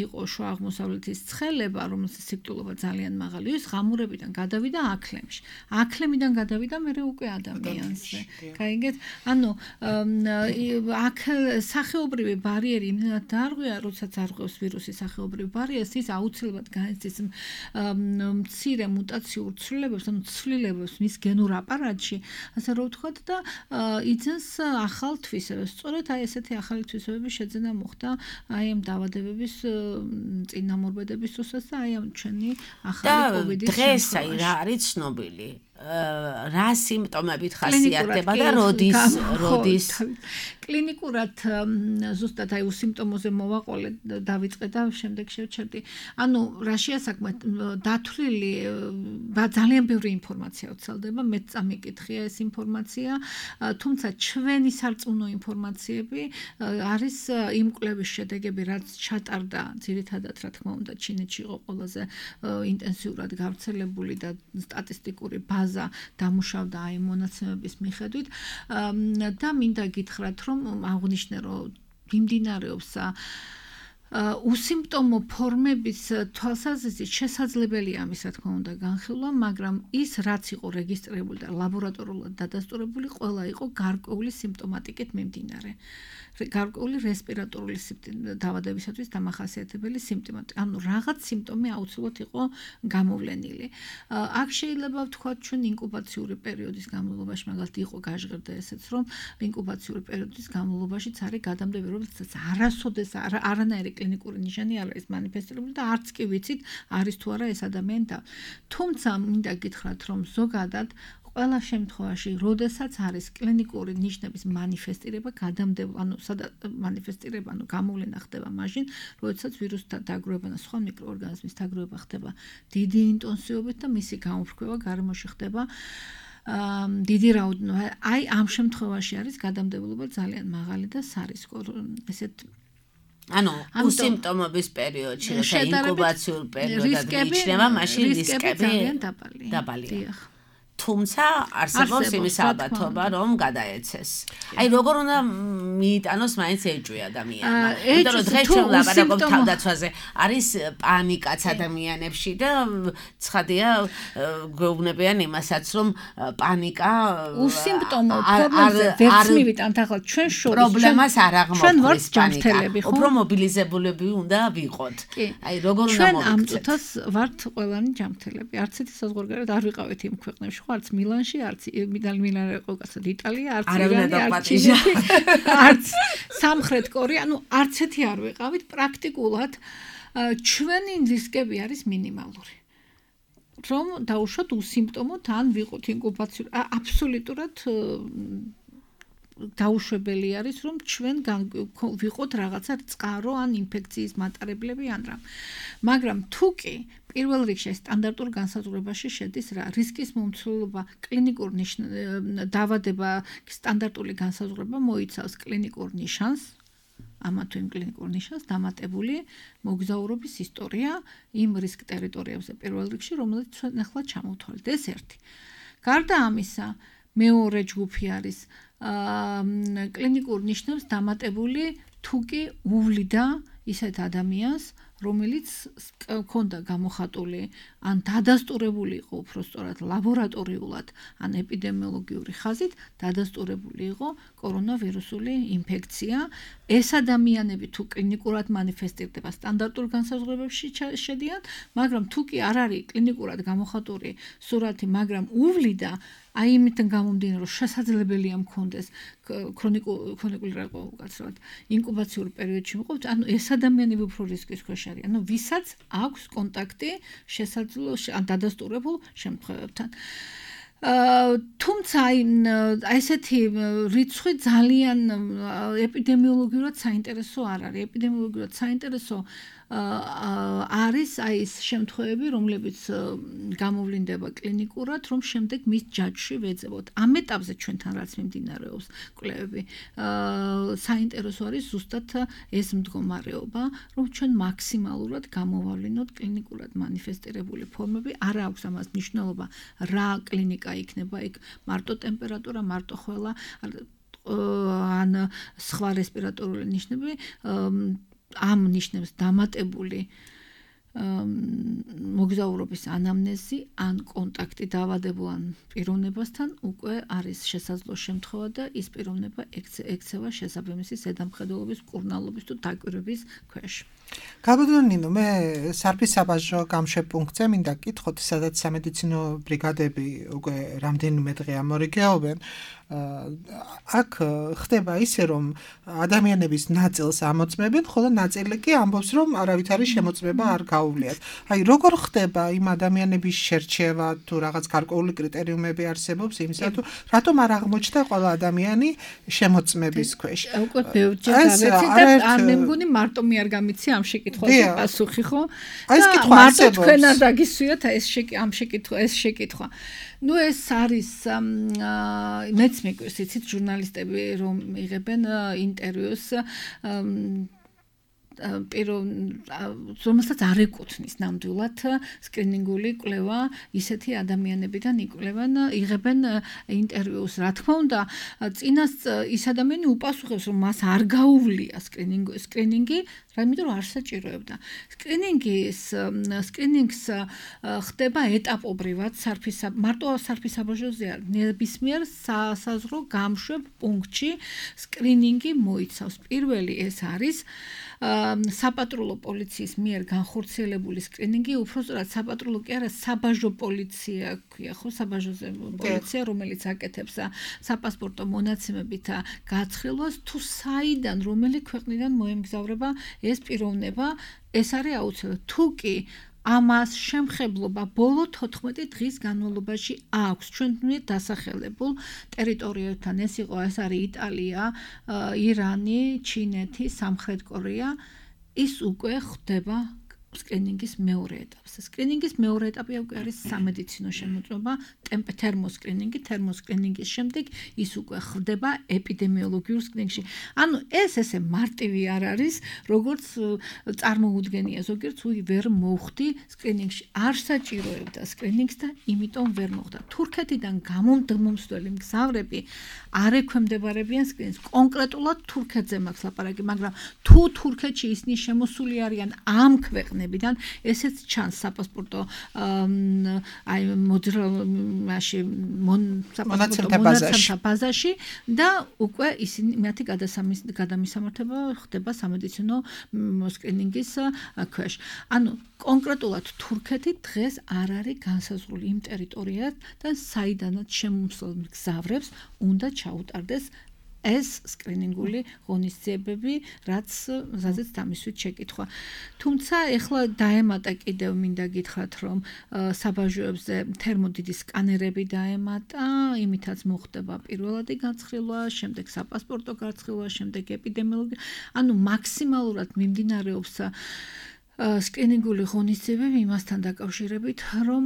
იყო შუა აღმოსავლეთის ცხელება, რომელსაც სიკვდილობა ძალიან მაღალი, ის ღამურებიდან გადავიდა აქლემში. აქლემიდან გადავიდა მერე უკვე ადამიანზე. გაიგეთ? ანუ აქ სახეობრივი ბარიერი იმდენად დაარღვია, როდესაც არღვევს ვირუსის სახეობრივი ბარიერს, ის აუცილებლად განიცდის მცირე მუტაციურ ცვლილებებს, ანუ ცვლილებებს მის გენურ აპარატში, ასე რომ ვთქვათ და იძენს ახალ თვისებებს. სწორედ აი ესეთი ახალი თვისებები შეძენა მოხდა აი ამ დაავადებების წინამორბედების დროსაც და აი ამ ჩვენი ახალი კოვიდის დღეს აი რა არის ცნობილი? რა სიმპტომებით ხასიათდება და როდის როდის კლინიკურად ზუსტად აი უსიმპტომოზე მოვაყოლე დავიწყე და შემდეგ შევჩერდი. ანუ რაშია საქმე დათვლილი ძალიან ბევრი ინფორმაცია ვრცელდება, მეც წამიკითხია ეს ინფორმაცია, თუმცა ჩვენი სარწმუნო ინფორმაციები არის იმ კვლევის შედეგები, რაც ჩატარდა ძირითადად რა თქმა უნდა ჩინეთში იყო ყველაზე ინტენსიურად გავრცელებული და სტატისტიკური ბაზა დამუშავდა აი მონაცემების მიხედვით და მინდა გითხრათ რომ აღნიშნე რომ მიმდინარეობს უსიმპტომო ფორმების თვალსაზრისით შესაძლებელია ამის რა თქმა უნდა განხილვა, მაგრამ ის რაც იყო რეგისტრირებული და ლაბორატორიულად დადასტურებული, ყველა იყო გარკვეული სიმპტომატიკით მიმდინარე. გარკვეული რესპირატორული დაავადებისათვის დამახასიათებელი სიმპტომატი. ანუ რაღაც სიმპტომი აუცილებლად იყო გამოვლენილი. აქ შეიძლება ვთქვათ ჩვენ ინკუბაციური პერიოდის განმავლობაში, მაგალითად იყო გაჟღერდა ესეც, რომ ინკუბაციური პერიოდის განმავლობაშიც არის გადამდები, რომელსაც არასოდეს არანაირი კლინიკური ნიშანი არ არის მანიფესტირებული და არც კი ვიცით არის თუ არა ეს ადამიანი და თუმცა მინდა გითხრათ რომ ზოგადად ყველა შემთხვევაში, როდესაც არის კლინიკური ნიშნების მანიფესტირება, გადამდება, ანუ სადაც მანიფესტირება, ანუ გამოვლენა ხდება მაშინ, როდესაც ვირუსთა დაგროვება და სხვა მიკროორგანიზმის დაგროვება ხდება დიდი ინტენსივობით და მისი გამოფრქვევა გარემოში ხდება დიდი რაოდენობით. აი ამ შემთხვევაში არის გადამდებულობა ძალიან მაღალი და სარისკო, ესეთ ანუ უსიმპტომობის პერიოდში, როცა ინკუბაციურ პერიოდად მიიჩნევა, მაშინ რისკები დაბალია. თუმცა არსებობს იმის ალბათობა, რომ გადაეცეს. აი როგორ უნდა მიიტანოს მაინც ეჭვი ადამიანმა. იმიტომ რომ დღეს ჩვენ ვლაპარაკობთ თავდაცვაზე, არის პანიკაც ადამიანებში და ცხადია გვეუბნებიან იმასაც, რომ პანიკა უსიმპტომო ფორმაზე ვერც მივიტანთ ახლა ჩვენ შორის პრობლემას არ აღმოფხრის პანიკა. უფრო მობილიზებულები უნდა ვიყოთ. აი როგორ უნდა ჩვენ ამ წუთას ვართ ყველანი ჯანმრთელები. არც ერთი საზღვარგარეთ არ ვიყავით იმ ქვეყნებში. არც მილანში, არც მილანი იყო კაცად იტალია, არც ირანი, არც ჩინეთი, არც სამხრეთ კორეა, ანუ არც ერთი არ ვიყავით, პრაქტიკულად ჩვენი რისკები არის მინიმალური. რომ დაუშვათ უსიმპტომოთ ან ვიყოთ ინკუბაციურ, აბსოლუტურად დაუშვებელი არის, რომ ჩვენ ვიყოთ რაღაცა წყარო ან ინფექციის მატარებლები ან რა. მაგრამ თუ კი პირველ რიგში სტანდარტულ განსაზღვრებაში შედის რა რისკის მომცველობა კლინიკურ დაავადება სტანდარტული განსაზღვრება მოიცავს კლინიკურ ნიშანს ამა თუ იმ კლინიკურ ნიშანს დამატებული მოგზაურობის ისტორია იმ რისკ ტერიტორიებზე პირველ რიგში რომელიც ჩვენ ახლა ჩამოვთვალეთ ეს ერთი. გარდა ამისა მეორე ჯგუფი არის კლინიკურ ნიშნებს დამატებული თუ კი უვლიდა ისეთ ადამიანს რომელიც ქონდა გამოხატული ან დადასტურებული იყო უბრალოდ ლაბორატორიულად ან ეპიდემიოლოგიური ხაზით დადასტურებული იყო კორონავირუსული ინფექცია. ეს ადამიანები თუ კლინიკურად მანიფესტირდება სტანდარტულ განსაზღვრებებში შედიან, მაგრამ თუ კი არ არის კლინიკურად გამოხატული სურათი, მაგრამ უვლიდა აი იმითგან გამომდინარე რომ შესაძლებელია მქონდეს ქრონიკული რაყო უკაცრავად ინკუბაციურ პერიოდში მყოფ, ანუ ეს ადამიანები უფრო რისკის ქვეშ არიან, ანუ ვისაც აქვს კონტაქტი შესაძლო ან დადასტურებულ შემთხვევებთან. თუმცა ესეთი რიცხვი ძალიან ეპიდემიოლოგიურად საინტერესო არ არის. ეპიდემიოლოგიურად საინტერესო არის აი ეს შემთხვევები, რომლებიც გამოვლინდება კლინიკურად, რომ შემდეგ მის ჯაჭვში ვეძებოთ. ამ ეტაპზე ჩვენთან რაც მიმდინარეობს კვლევები, საინტერესო არის ზუსტად ეს მდგომარეობა, რომ ჩვენ მაქსიმალურად გამოვავლინოთ კლინიკურად მანიფესტირებული ფორმები. არ აქვს ამას მნიშვნელობა რა კლინიკა იქნება იქ, მარტო ტემპერატურა, მარტო ხველა ან სხვა რესპირატორული ნიშნები ამ ნიშნებს დამატებული მოგზაურობის ანამნეზი ან კონტაქტი დაავადებულ პიროვნებასთან უკვე არის შესაძლო შემთხვევა და ის პიროვნება ექცევა შესაბამისი ზედამხედველობის, მკურნალობის თუ დაკვირვების ქვეშ. გაბედონინო, მე სარფის საბაჟო გამშვებ-პუნქტზე მინდა გკითხოთ, სადაც სამედიცინო ბრიგადები უკვე რამდენიმე დღე ამორიგეობენ. აქ ხდება ისე, რომ ადამიანების ნაწილს ამოწმებენ, ხოლო ნაწილი კი ამბობს, რომ არავითარი შემოწმება არ გაუწია. გაუვლიათ. აი როგორ ხდება იმ ადამიანების შერჩევა თუ რაღაც გარკვეული კრიტერიუმები არსებობს იმისა თუ რატომ არ აღმოჩნდა ყველა ადამიანი შემოწმების ქვეშ? უკვე ბევრჯერ გავეცი და არ მე მგონი მარტო მე არ გამიცი ამ შეკითხვაზე პასუხი ხო? აი ეს კითხვა არსებობს. მარტო თქვენ არ დაგისვიოთ ეს ამ შეკითხვა ეს შეკითხვა. ნუ ეს არის მეც მეკვირს იცით ჟურნალისტები რომ იღებენ ინტერვიუს პირო რომელსაც არ ეკუთვნის ნამდვილად სკრინინგული კვლევა ისეთი ადამიანებიდან იკვლევენ იღებენ ინტერვიუს რა თქმა უნდა წინას ის ადამიანი უპასუხებს რომ მას არ გაუვლია სკრინინგი სკრინინგი იმიტომ რომ არ საჭიროებდა სკრინინგის სკრინინგს ხდება ეტაპობრივად სარფის მარტო სარფის საბაჟოზე არ ნებისმიერ საზღვრო გამშვებ პუნქტში სკრინინგი მოიცავს პირველი ეს არის საპატრულო პოლიციის მიერ განხორციელებული სკრინინგი უბრალოდ საპატრულო კი არა საბაჟო პოლიცია ქვია ხო საბაჟოზე პოლიცია რომელიც აკეთებს საპასპორტო მონაცემებით გაცხრილვას თუ საიდან რომელი ქვეყნიდან მოემგზავრება ეს პიროვნება ეს არის აუცილებლად თუ კი ამას შემხებლობა ბოლო თოთხმეტი დღის განმავლობაში აქვს ჩვენ დასახელებულ ტერიტორიებთან ეს იყო ეს არის იტალია, ირანი, ჩინეთი, სამხრეთ კორეა ის უკვე ხდება სკრინინგის მეორე ეტაპზე. სკრინინგის მეორე ეტაპი უკვე არის სამედიცინო შემოწმება, თერმოსკრინინგი, თერმოსკრინინგის შემდეგ ის უკვე ხდება ეპიდემიოლოგიურ სკრინინგში. ანუ ეს ესე მარტივი არ არის, როგორც წარმოუდგენია ზოგიერთ უი ვერ მოხვდი სკრინინგში. არ საჭიროებდა სკრინინგს და იმიტომ ვერ მოხვდა. თურქეთიდან გამომდმომსვლელი მგზავრები არ ექვემდებარებიან სკრინინგს. კონკრეტულად თურქეთზე მაქვს ლაპარაკი, მაგრამ თუ თურქეთში ისინი შემოსული არიან ამ ქვეყნებიდან ბიდან ესეც ჩანს საპასპორტო აი მოძრაობაში საპასპორტო მონაცემთა ბაზაში და უკვე ისინი მათი გადამისამართება ხდება სამედიცინო სკრინინგის ქვეშ. ანუ კონკრეტულად თურქეთი დღეს არ არის განსაზღვრული იმ ტერიტორიად და საიდანაც შემოსულ მგზავრებს უნდა ჩაუტარდეს ეს სკრინინგული ღონისძიებები, რაც რაზეც დამისვით შეკითხვა. თუმცა ეხლა დაემატა კიდევ მინდა გითხრათ, რომ საბაჟოებზე თერმოდიდის სკანერები დაემატა, იმითაც მოხდება პირველადი გაცხრილვა, შემდეგ საპასპორტო გაცხრილვა, შემდეგ ეპიდემიოლოგია. ანუ მაქსიმალურად მიმდინარეობს სკრინინგული ღონისძიებები იმასთან დაკავშირებით, რომ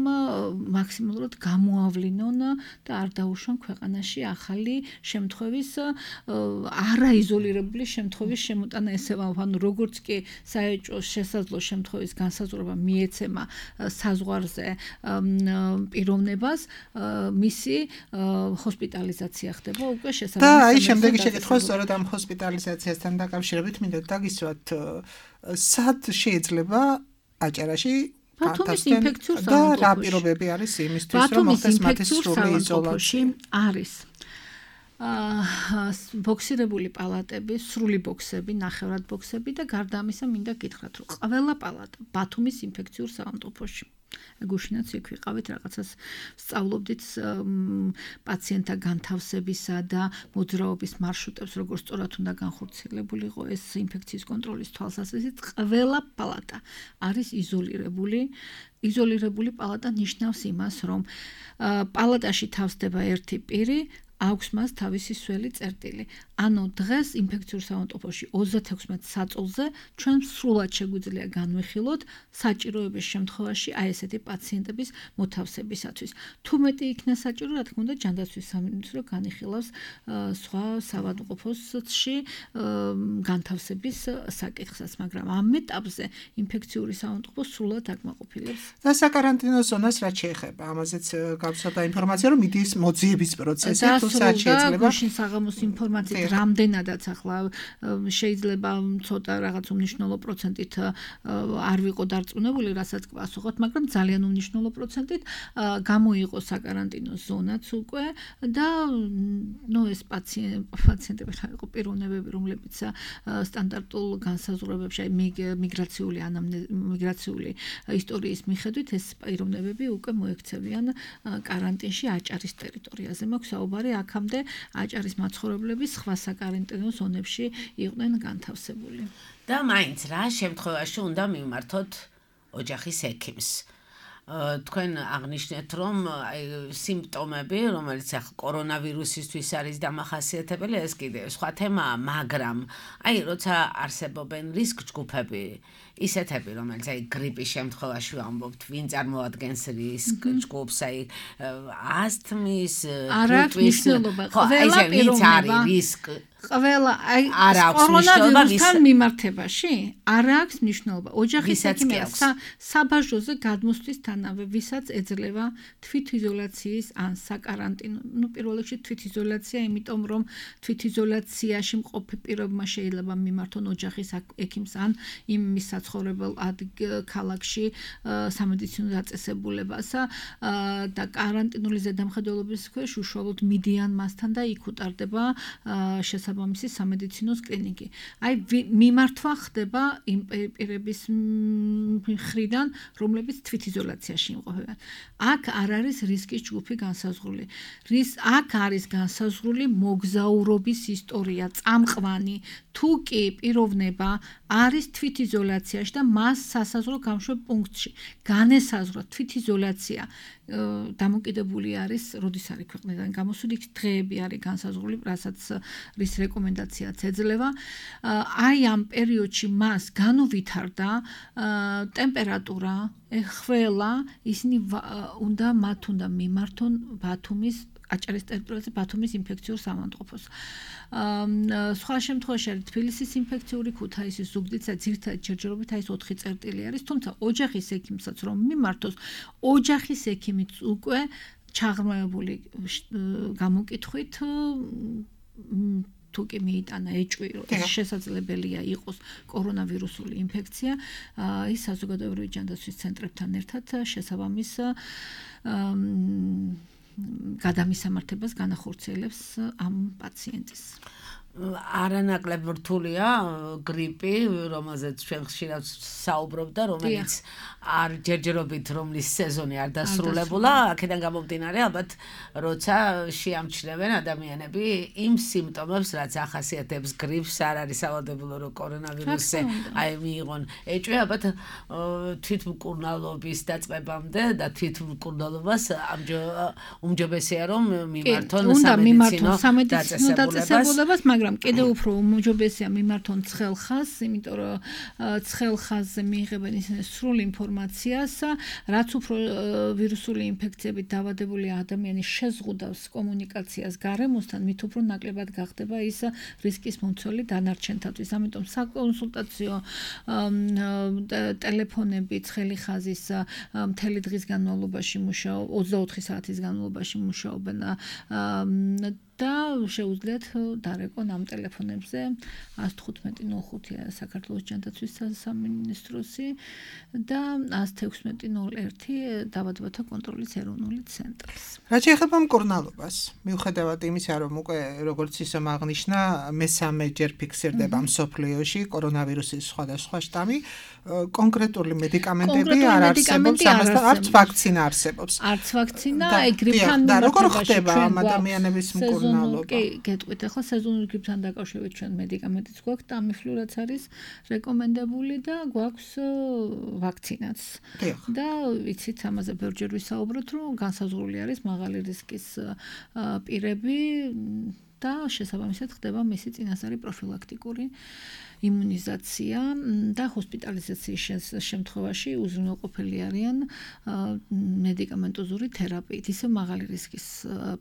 მაქსიმალურად გამოავლინონ და არ დაუშვან ქვეყანაში ახალი შემთხვევის არაიზოლირებული შემთხვევის შემოტანა ესევა, ანუ როგორც კი საეჭვო შესაძლო შემთხვევის განსაზღვრება მიეცემა საზღვარზე პიროვნებას, მისი ჰოსპიტალიზაცია ხდება უკვე შესაბამისად. და აი შემდეგი შეკითხვა სწორედ ამ ჰოსპიტალიზაციასთან დაკავშირებით მინდა დაგისვათ სად შეიძლება აჭარაში ბათუმის ინფექციურ და რა პირობები არის იმისთვის რომ მოხდეს მათი სრული იზოლაცია არის აა ბოქსირებული პალატები, სრული ბოქსები, ნახევრად ბოქსები და გარდა ამისა მინდა გითხრათ რომ ყველა პალატა ბათუმის ინფექციურ საავადმყოფოში გუშინაც იქ ვიყავით რაღაცას სწავლობდით პაციენტთა განთავსებისა და მოძრაობის მარშრუტებს როგორც სწორად უნდა განხორციელებულიყო ეს ინფექციის კონტროლის თვალსაზრისით ყველა პალატა არის იზოლირებული იზოლირებული პალატა ნიშნავს იმას რომ პალატაში თავსდება ერთი პირი აქვს მას თავისი სველი წერტილი. ანუ დღეს ინფექციურ საავადმყოფოში ოცდათექვსმეტ საწოლზე ჩვენ სრულად შეგვიძლია განვიხილოთ საჭიროების შემთხვევაში აი ესეთი პაციენტების მოთავსებისათვის. თუ მეტი იქნა საჭირო, რა თქმა უნდა, ჯანდაცვის სამინისტრო განიხილავს სხვა საავადმყოფოში განთავსების საკითხსაც, მაგრამ ამ ეტაპზე ინფექციური საავადმყოფო სრულად აკმაყოფილებს. და საკარანტინო ზონას რაც შეეხება, ამაზეც გავცნობდა ინფორმაცია, რომ მიდის მოძიების პროცესი. და გუშინ საღამოს ინფორმაციით რამდენადაც ახლა შეიძლება ცოტა რაღაც უმნიშვნელო პროცენტით არ ვიყო დარწმუნებული, რასაც პასუხობთ, მაგრამ ძალიან უმნიშვნელო პროცენტით გამოიყო საკარანტინო ზონაც უკვე და ნუ ეს პაციენტები რა იყო პიროვნებები, რომლებიც სტანდარტულ განსაზღვრებებში, აი მიგრაციული მიგრაციული ისტორიის მიხედვით ეს პიროვნებები უკვე მოექცევიან კარანტინში აჭარის ტერიტორიაზე. მაქვს საუბარი აქამდე აჭარის მაცხოვრებლები სხვა საკარანტინო ზონებში იყვნენ განთავსებული. და მაინც რა შემთხვევაში უნდა მივმართოთ ოჯახის ექიმს. თქვენ აღნიშნეთ, რომ სიმპტომები, რომელიც ახლა კორონავირუსისთვის არის დამახასიათებელი, ეს კიდე სხვა თემაა, მაგრამ აი როცა არსებობენ რისკ ჯგუფები, ისეთები, რომელიც აი გრიპის შემთხვევაში ვამბობთ, ვინ წარმოადგენს რისკ ჯგუფს, აი ასთმის, გრიპის, ყველა პიროვნება რისკ ყველა აი კორონავირუსთან მიმართებაში არ აქვს მნიშვნელობა. ოჯახის ექიმი საბაჟოზე გადმოსვლისთანავე, ვისაც ეძლევა თვითიზოლაციის ან საკარანტინო, ну პირველ რიგში თვითიზოლაცია, იმიტომ რომ თვითიზოლაციაში მყოფი პირებმა შეიძლება მიმართონ ოჯახის ექიმს ან იმ მის საცხოვრებელ ქალაქში სამედიცინო დაწესებულებას და კარანტინული ზედამხედველობის ქვეშ უშუალოდ მიდიან მასთან და იქ უტარდება შესაბამისი სამედიცინოს კლინიკი. აი მიმართვა ხდება იმ პირების მხრიდან, რომლებიც თვითიზოლაციაში იმყოფებიან. აქ არ არის რისკის ჯგუფი განსაზღვრული. რის აქ არის განსაზღვრული მოგზაურობის ისტორია, წამყვანი, თუ კი პიროვნება არის თვითიზოლაციაში და მას სასაზღვრო გამშვებ პუნქტში განესაზღვრა თვითიზოლაცია დამოკიდებული არის, როდის არის ქვეყნიდან გამოსული, დღეები არის განსაზღვრული, რასაც რის რეკომენდაციაც ეძლევა. აი ამ პერიოდში მას განუვითარდა ტემპერატურა, ხველა, ისინი უნდა მათ უნდა მიმართონ ბათუმის აჭარის ტერიტორიაზე ბათუმის ინფექციურ სამავთყოფოს. სხვა შემთხვევაში არის თბილისის ინფექციური, ქუთაისის, ზუგდიდისა, ძირითადად ჯერჯერობით აი ეს ოთხი წერტილი არის, თუმცა ოჯახის ექიმსაც რომ მიმართოს, ოჯახის ექიმიც უკვე ჩაღრმავებული გამოკითხვით თუ კი მიიტანა ეჭვი, რომ ეს შესაძლებელია იყოს კორონავირუსული ინფექცია, ის საზოგადოებრივი ჯანდაცვის ცენტრებთან ერთად შესაბამის გადამისამართებას განახორციელებს ამ პაციენტის. არანაკლებ რთულია გრიპი, რომელზეც ჩვენ ხშირად საუბრობთ და რომელიც არ ჯერჯერობით რომლის სეზონი არ დასრულებულა, აქედან გამომდინარე ალბათ როცა შეამჩნევენ ადამიანები იმ სიმპტომებს, რაც ახასიათებს გრიპს, არ არის სავალდებულო რომ კორონავირუსზე აი მიიღონ ეჭვი, ალბათ თვითმკურნალობის დაწყებამდე და თვითმკურნალობას უმჯობესია რომ მიმართონ სამედიცინო დაწესებულებას, მაგრამ კიდევ უფრო უმჯობესია მიმართონ ცხელ ხაზს, იმიტომ რომ ცხელ ხაზზე მიიღებენ ისინი სრულ ინფორმაციას, რაც უფრო ვირუსული ინფექციებით დაავადებული ადამიანი შეზღუდავს კომუნიკაციას გარემოსთან, მით უფრო ნაკლებად გახდება ის რისკის მომცველი დანარჩენთათვის. ამიტომ საკონსულტაციო ტელეფონები ცხელი ხაზის მთელი დღის განმავლობაში მუშაობ, ოცდაოთხი საათის განმავლობაში მუშაობენ და შეუძლიათ დარეკონ ამ ტელეფონებზე ათს თხუთმეტი ნული ხუთი საქართველოს ჯანდაცვის სამინისტროსი და ათს თექვსმეტი ნული ერთი დაავადებათა კონტროლის ეროვნული ცენტრის. რაც შეეხება მკურნალობას, მიუხედავად იმისა, რომ უკვე როგორც ისე აღნიშნა, მესამე ჯერ ფიქსირდება მსოფლიოში კორონავირუსის სხვადასხვა შტამი, კონკრეტული მედიკამენტები არ არსებობს, ამასთან არც ვაქცინა არსებობს. არც ვაქცინა, აი გრიპთან და როგორ ხდება ამ ადამიანების მკურნალობა? კი, გეტყვით, ახლა სეზონური გრიპთან დაკავშირებით ჩვენ მედიკამენტიც გვაქვს, ტამიფლუ რაც არის რეკომენდებული და გვაქვს ვაქცინაც. და ვიცით, ამაზე ბევრჯერ ვისაუბროთ, რომ განსაზღვრული არის მაღალი რისკის პირები და შესაბამისად ხდება მისი წინასწარი პროფილაქტიკური იმუნიზაცია და ჰოსპიტალიზაციის შემთხვევაში უზრუნველყოფილი არიან მედიკამენტოზური თერაპიით, ისე მაღალი რისკის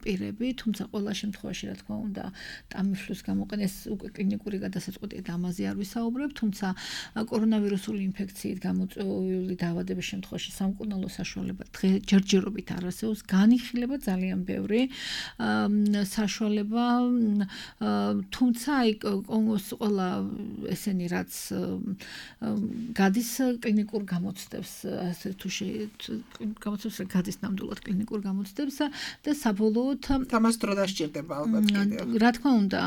პირები, თუმცა ყველა შემთხვევაში, რა თქმა უნდა, ტამიფლუს გამოყენეს უკვე კლინიკური გადასაწყვეტია და ამაზე არ ვისაუბრებ, თუმცა კორონავირუსული ინფექციით გამოწვეული დაავადების შემთხვევაში სამკურნალო საშუალება ჯერჯერობით არ არსებობს, განიხილება ძალიან ბევრი საშუალება, თუმცა აი ყველა ესენი რაც გადის კლინიკურ გამოცდებს, ასე თუ გამოცდებს გადის ნამდვილად კლინიკურ გამოცდებს და საბოლოოდ თამას დრო დასჭირდება ალბათ კიდევ. რა თქმა უნდა,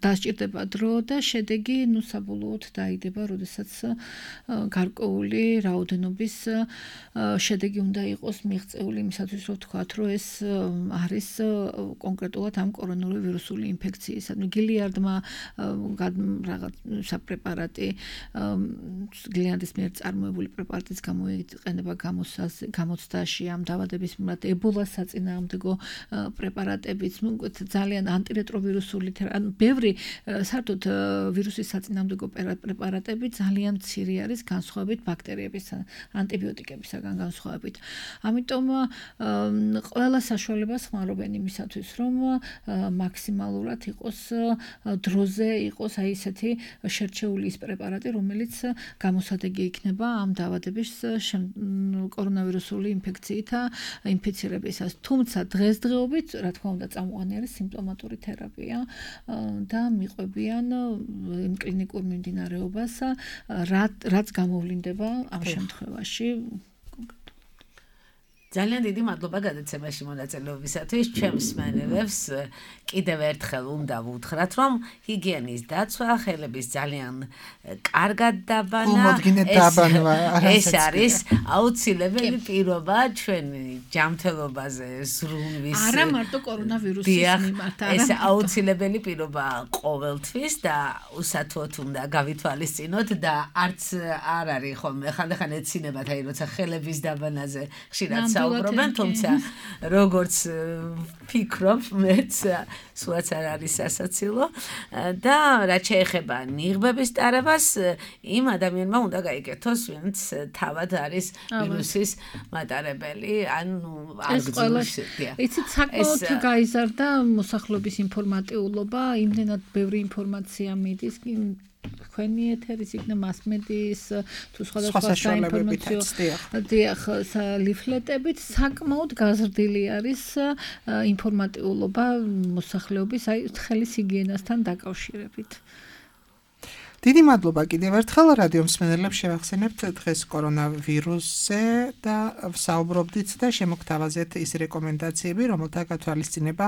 დასჭირდება დრო და შედეგი ნუ საბოლოოდ დაიდება, როდესაც გარკვეული რაოდენობის შედეგი უნდა იყოს მიღწეული იმისათვის, რომ ვთქვათ, რომ ეს არის კონკრეტულად ამ კორონული ვირუსული ინფექციისა. გილიარდმა რაღაც საპრეპარატი გილიარდის მიერ წარმოებული პრეპარატის გამოიყენება გამოცდაში ამ დაავადების მიმართ ებოლას საწინააღმდეგო პრეპარატებიც, ძალიან ანტირეტროვირუსული, ანუ ბევრი საერთოდ ვირუსის საწინააღმდეგო პრეპარატები ძალიან მცირე არის განსხვავებით ბაქტერიების ანტიბიოტიკებისაგან განსხვავებით. ამიტომ ყველა საშუალებას ხმარობენ იმისათვის, რომ მაქსიმალურად იყოს დროზე იყოს აი ესეთი შერჩეული ის პრეპარატი, რომელიც გამოსადეგი იქნება ამ დაავადების კორონავირუსული ინფექციით ინფიცირებისას. თუმცა დღესდღეობით, რა თქმა უნდა, წამყვანი არის სიმპტომატური თერაპია და მიყვებიან იმ კლინიკურ მიმდინარეობას, რაც გამოვლინდება ამ შემთხვევაში. ძალიან დიდი მადლობა გადაცემაში მონაწილეობისათვის. ჩემს მსმენელებს კიდევ ერთხელ უნდა ვუთხრათ, რომ ჰიგიენის დაცვა ხელების ძალიან კარგად დაბანა. ეს არის აუცილებელი პირობა ჩვენი ჯანმრთელობაზე ზრუნვის. არა მარტო კორონავირუსის მიმართ, არა. ეს აუცილებელი პირობა ყოველთვის და უსათუოდ უნდა გავითვალისწინოთ და არც არ არის ხოლმე ხანდახან ეცინება აი როცა ხელების დაბანაზე ხშირად საუბრობენ, თუმცა როგორც ფიქრობ, მეც სულაც არ არის სასაცილო და რაც შეეხება ნიღბების ტარებას, იმ ადამიანმა უნდა გაიკეთოს, ვინც თავად არის ვირუსის მატარებელი, ანუ არ გძნობს. იცით, საკმაოდ გაიზარდა მოსახლეობის ინფორმატიულობა, იმდენად ბევრი ინფორმაცია მიდის, თქვენი ეთერის იქნება მასმედიის თუ სხვადასხვა საინფორმაციო დიახ ლიფლეტებით საკმაოდ გაზრდილი არის ინფორმატიულობა მოსახლეობის აი ხელის ჰიგიენასთან დაკავშირებით. დიდი მადლობა კიდევ ერთხელ რადიო მსმენელებს შევახსენებთ დღეს კორონავირუსზე და ვსაუბრობდით და შემოგთავაზეთ ის რეკომენდაციები, რომელთა გათვალისწინება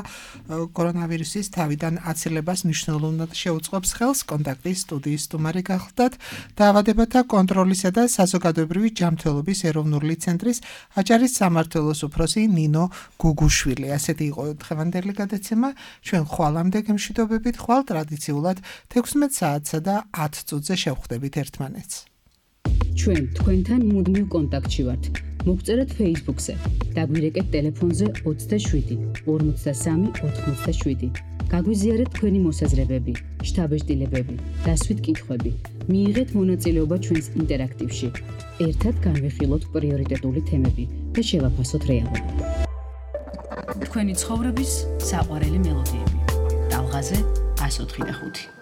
კორონავირუსის თავიდან აცილებას მნიშვნელოვნად შეუწყობს ხელს. კონტაქტის სტუდიის სტუმარი გახლდათ დაავადებათა კონტროლისა და საზოგადოებრივი ჯანმრთელობის ეროვნული ცენტრის აჭარის სამმართველოს უფროსი ნინო გუგუშვილი. ასეთი იყო დღევანდელი გადაცემა. ჩვენ ხვალამდე გემშვიდობებით, ხვალ ტრადიციულად თექვსმეტ საათსა და ათ წუთზე შევხვდებით ერთმანეთს. ჩვენ თქვენთან მუდმივ კონტაქტში ვართ. მოგწერეთ Facebook-ზე, დაგვირეკეთ ტელეფონზე ოცდაშვიდი ორმოცდასამი ოთხმოცდაშვიდი. გაგვიზიარეთ თქვენი მოსაზრებები, შთაბეჭდილებები, დასვით კითხვები. მიიღეთ მონაწილეობა ჩვენს ინტერაქტივში. ერთად განვიხილოთ პრიორიტეტული თემები და შევაფასოთ რეალობა. თქვენი ცხოვრების საყვარელი მელოდიები. ტალღაზე ას ოთხი და ხუთი.